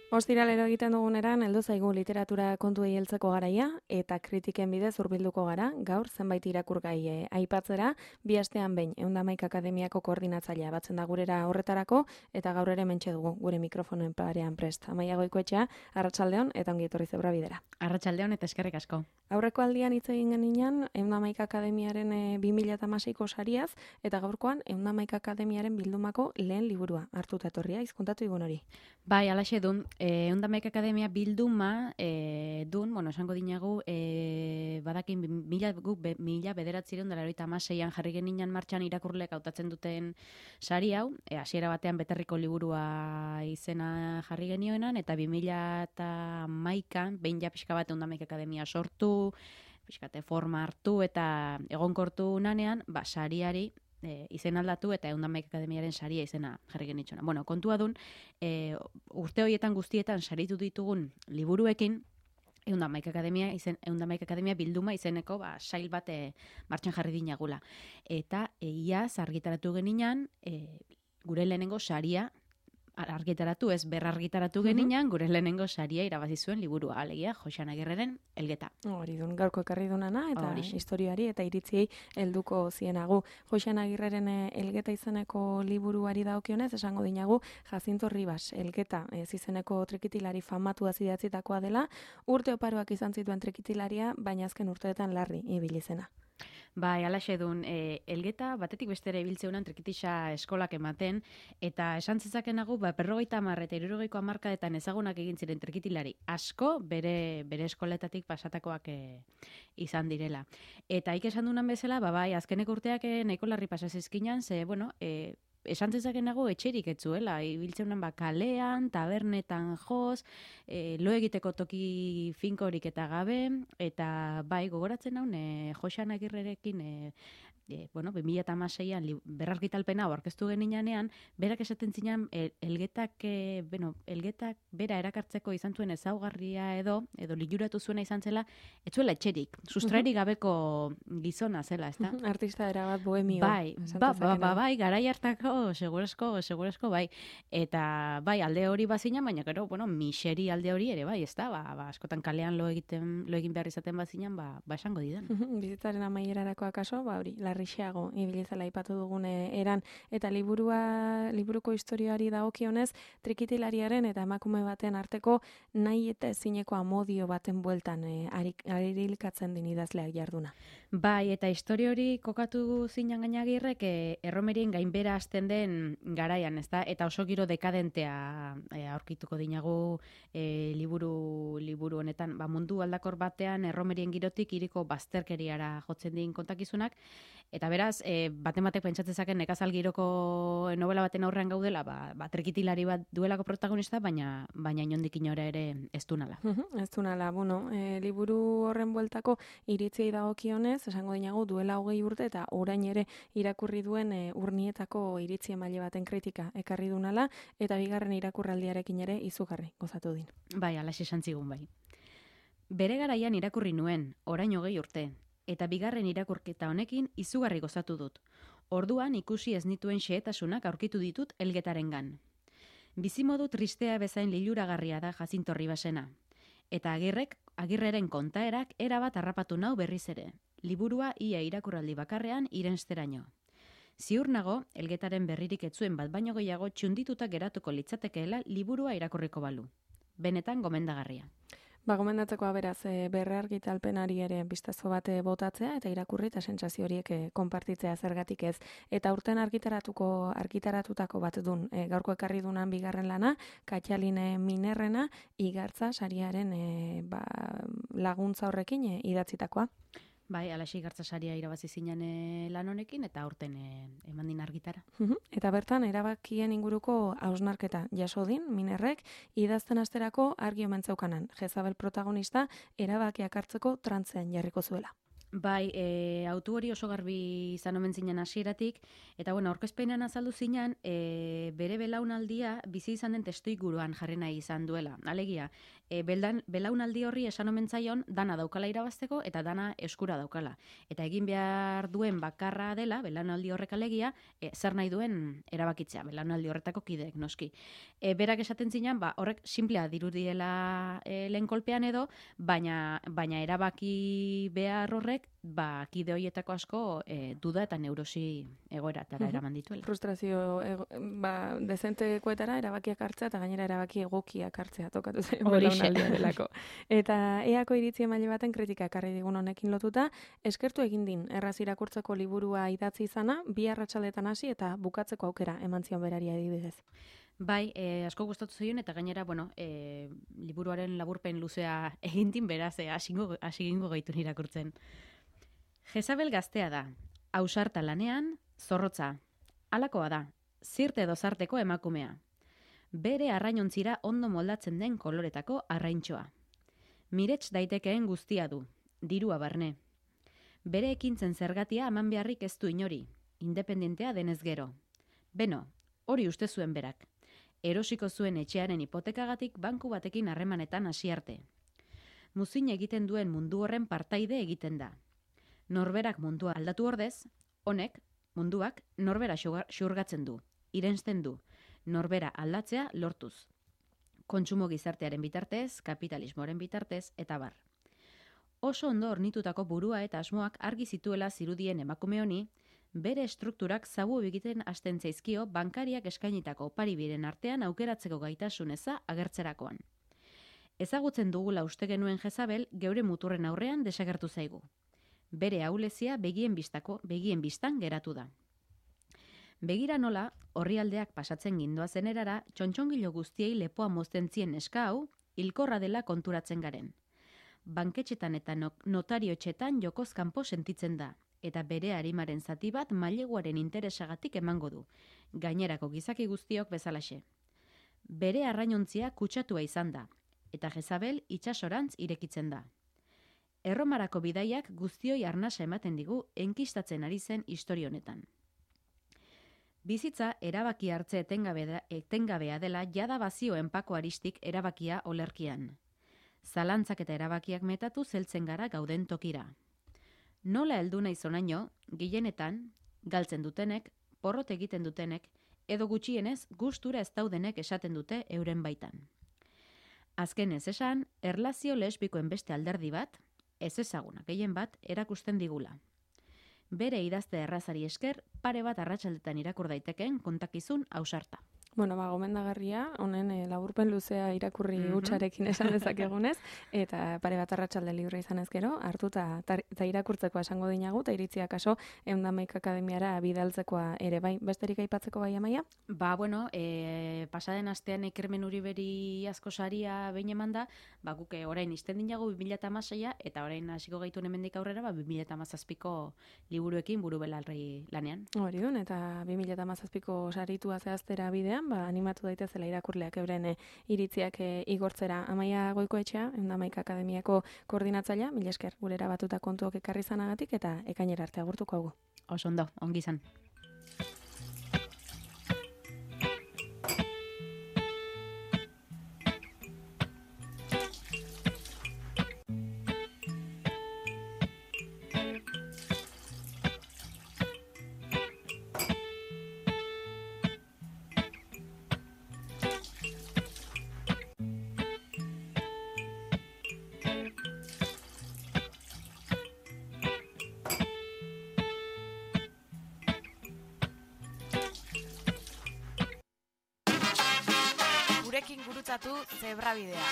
Ostiralero egiten duguneran, heldu zaigu literatura kontuei heltzeko garaia eta kritiken bidez hurbilduko gara, gaur zenbait irakurgai aipatzera, bi astean behin 111 Akademiako koordinatzailea batzen da gurera horretarako eta gaur ere hementxe dugu gure mikrofonoen parean prest. Amaia Goikoetxea, arratsaldeon eta ongi etorri Zebra Bidera. Arratsaldeon eta eskerrik asko. Aurreko aldian hitz egin genian 111 Akademiaren 2016ko sariaz eta gaurkoan 111 Akademiaren bildumako lehen liburua hartuta etorria, hizkontatu igun hori. Bai, alaxe dun, 111 Akademia bilduma dun, esango dinagu, badakin 1996an jarri geninan martxan irakurlek hautatzen duten sari hau, hasiera batean beterriko liburua izena jarri genioenan, eta 2011an, behin ja pixka bat 111 Akademia sortu, pixkate forma hartu eta egonkortu nanean, sariari izen aldatu eta 111 Akademiaren saria izena jarri genitxona. Kontua dun, urte horietan guztietan saritu ditugun liburuekin, 111 Akademia bilduma izeneko sail bat martxan jarri dinagula. Eta iaz argitaratu geninan, gure lehenengo saria argitaratu, ez berrargitaratu geninan, gure lehenengo saria irabazi zuen liburua, alegia Joxan Agirreren Elgeta. Hori dun, gaurko ekarri dunana, eta historiari eta iritziei helduko zienagu. Joxan Agirreren Elgeta izeneko liburuari dagokionez, esango dinagu, Jacinto Ribas Elgeta izeneko trikitilari famatua zidatzitakoa dela, urte oparoak izan zituen trikitilaria, baina azken urteetan larri ibili zena. Bai, alaxe dun, Elgeta batetik bestera ibiltzeunan trikitisa eskolak ematen, eta esan zezakenagu, 50 eta 60ko hamarkadetan ezagunak egin ziren trikitilari asko bere eskoletatik pasatakoak izan direla. Eta esan dunan bezala, bai, azkeneko urteak nahiko larri pasazizkinan, ze, esan zezakenago etxerik etzuela, ibiltzeunan kalean, tabernetan joz, lo egiteko toki finkorik eta gabe, eta bai, gogoratzen haun, Joxan Agirrerekin, 2016an berrargitalpena aurkeztu geninanean, berak esaten zinan, Elgetak bera erakartzeko izan zuen ezaugarria edo liluratu zuena izan zela, etzuela etxerik, sustrairik gabeko gizona zela, ezta? Artista erabat bohemio. Bai, garai hartako, segurazko, bai. Eta, bai, alde hori bazina, baina, gero, miseri alde hori ere, bai, ezta? Askotan kalean lo egin behar izaten bazinan, esango didan. Bizitzaren amaierarako akaso, hori, larrixeago ibilizela aipatu dugun eran, eta liburuko historioari dagokionez, trikitilariaren eta emakume baten arteko nahi eta ezineko amodio baten bueltan arilkatzen din idazleak jarduna. Bai, eta historia hori kokatu zinan Gainagirrek erromerien gainbera hasten den garaian, ezta? Eta oso giro dekadentea aurkituko dinagu liburu honetan. Mundu aldakor batean erromerien girotik iriko bazterkeriara jotzen din kontakizunak, eta beraz, batek pentsatzezaken nekazal giroko novela baten aurrean gaudela, trikitilari bat duelako protagonista, baina inondik inora ere ez du nala. Ez du nala, liburu horren bueltako iritziei dagokionez, esango dinagu duela 20 urte eta orain ere irakurri duen urnietako iritzi emaile baten kritika ekarri dunala eta bigarren irakurraldiarekin ere izugarri gozatu din. Bai, alaxe esan zigun bai. Bere garaian irakurri nuen, orain 20 urte, eta bigarren irakurketa honekin izugarri gozatu dut. Orduan ikusi ez nituen xehetasunak aurkitu ditut Elgetarengan. Bizimodu tristea bezain liluragarria da Jacinto Ribasena. Eta Agirreren kontaerak erabat harrapatu nau berriz ere. Liburua ia irakurraldi bakarrean irensteraino. Ziur nago, Elgetaren berririk etzuen bat baino gehiago txundituta geratuko litzatekeela liburua irakurriko balu. Benetan gomendagarria. Gomendatzekoa beraz, berrargitalpenari ere bistazo bat botatzea eta irakurri eta sentsazio horiek konpartitzea zergatik ez. Eta urten argitaratutako bat dun, gaurko ekarri dunan bigarren lana, Katxaline Minerrena, Igartza sariaren laguntza horrekin idatzitakoa. Bai, alaxe Igartza saria irabazi zinan lan honekin eta aurten eman din argitara. Eta bertan, erabakien inguruko hausnarketa jaso din, Minerrek, idazten asterako argi omen zeukanan. Jezabel protagonista erabakiak hartzeko trantzean jarriko zuela. Bai, autu hori oso garbi izan omen zinen hasieratik, eta bueno, aurkezpenean azaldu zinan, bere belaunaldia bizi izan den testuinguruan jarri nahi izan duela. Alegia, belaunaldi horri esan omen zaion dana daukala irabazteko eta dana eskura daukala. Eta egin behar duen bakarra dela, belaunaldi horrek alegia, zer nahi duen erabakitzea, belaunaldi horretako kideek noski. Berak esaten zinan, horrek simplea dirudiela lehen kolpean edo, baina erabaki behar horrek, kide horietako asko duda eta neurosi egoeratara eraman dituela. Frustrazio dezentekoetara erabakiak hartzea eta gainera erabaki egokiak hartzea tokatu zen Horixe. belaunaldia delako. Eta eako iritzi emaile baten kritika ekarri digun honekin lotuta, eskertu egin din erraz irakurtzeko liburua idatzi izana, 2 arratsaldetan hasi eta bukatzeko aukera eman zion berari adibidez. Bai, asko gustatu zaion eta gainera, liburuaren laburpen luzea egintin beraz, hasi egingo gaitu irakurtzen. Jezabel gaztea da, ausarta lanean, zorrotza. Halakoa da, zirte dozarteko emakumea. Bere arrainontzira ondo moldatzen den koloretako arraintxoa. Mirets daitekeen guztia du, dirua barne. Bere ekintzen zergatia eman beharrik ez du inori, independentea denez gero. Beno, hori uste zuen berak. Erosiko zuen etxearen hipotekagatik banku batekin harremanetan hasi arte. Muzin egiten duen mundu horren partaide egiten da. Norberak mundua aldatu ordez, honek, munduak, norbera xurgatzen du, irensten du, norbera aldatzea lortuz. Kontsumo gizartearen bitartez, kapitalismoaren bitartez, eta bar. Oso ondo ornitutako burua eta asmoak argi zituela zirudien emakume honi, bere estrukturak zabu egiten hasten zaizkio bankariak eskainitako opari biren artean aukeratzeko gaitasun eza agertzerakoan. Ezagutzen dugula uste genuen Jezabel geure muturren aurrean desagertu zaigu. Bere ahulezia begien bistan geratu da. Begira nola, orrialdeak pasatzen gindoazen erara, txontxongilo guztiei lepoa mozten zien neska hau, hilkorra dela konturatzen garen. Banketxetan eta notarioetxetan jokoz kanpo sentitzen da, eta bere arimaren zati bat maileguaren interesagatik emango du, gainerako gizaki guztiok bezalaxe. Bere arrainontzia kutsatua izan da, eta Jezabel itsasorantz irekitzen da. Erromarako bidaiak guztioi arnasa ematen digu enkistatzen ari zen historia honetan. Bizitza erabaki hartze etengabea dela jada bazioen pako aristik erabakia olerkian. Zalantzak eta erabakiak metatu zeltzen gara gauden tokira. Nola heldu nahi zonaino, gehienetan, galtzen dutenek, porrot egiten dutenek, edo gutxienez gustura ez daudenek esaten dute euren baitan. Azken ez esan, erlazio lesbikoen beste alderdi bat, ez ezaguna gehien bat, erakusten digula. Bere idazte errazari esker, pare bat arratsaldetan irakur daitekeen kontakizun ausarta. Gomendagarria, honen laburpen luzea irakurri hutsarekin esan dezakegunez, eta pare bat arratsalde libre izan ezkero, hartu eta irakurtzeko esango dinagu, eta iritzia kaso, Eundamaik Akademiara bidaltzekoa ere bai, besterik aipatzeko bai Amaia? Pasaden astean Ikermen Uriberi asko saria behin eman da, guk orain izten dinagu 2016 eta orain hasiko gaitu hemendik aurrera 2017ko liburuekin buru belarri lanean. Hori dun, eta 2017ko saritua zehaztera bidean, animatu daitezela irakurleak euren iritziak igortzera. Amaia Goikoetxea, Eundamaik Akademiako koordinatzailea, mila esker gurera batuta kontuok ekarri zanagatik eta ekainera arte agurtuko hau. Oso ondo, ongi izan. Gurekin gurutzatu Zebrabidea.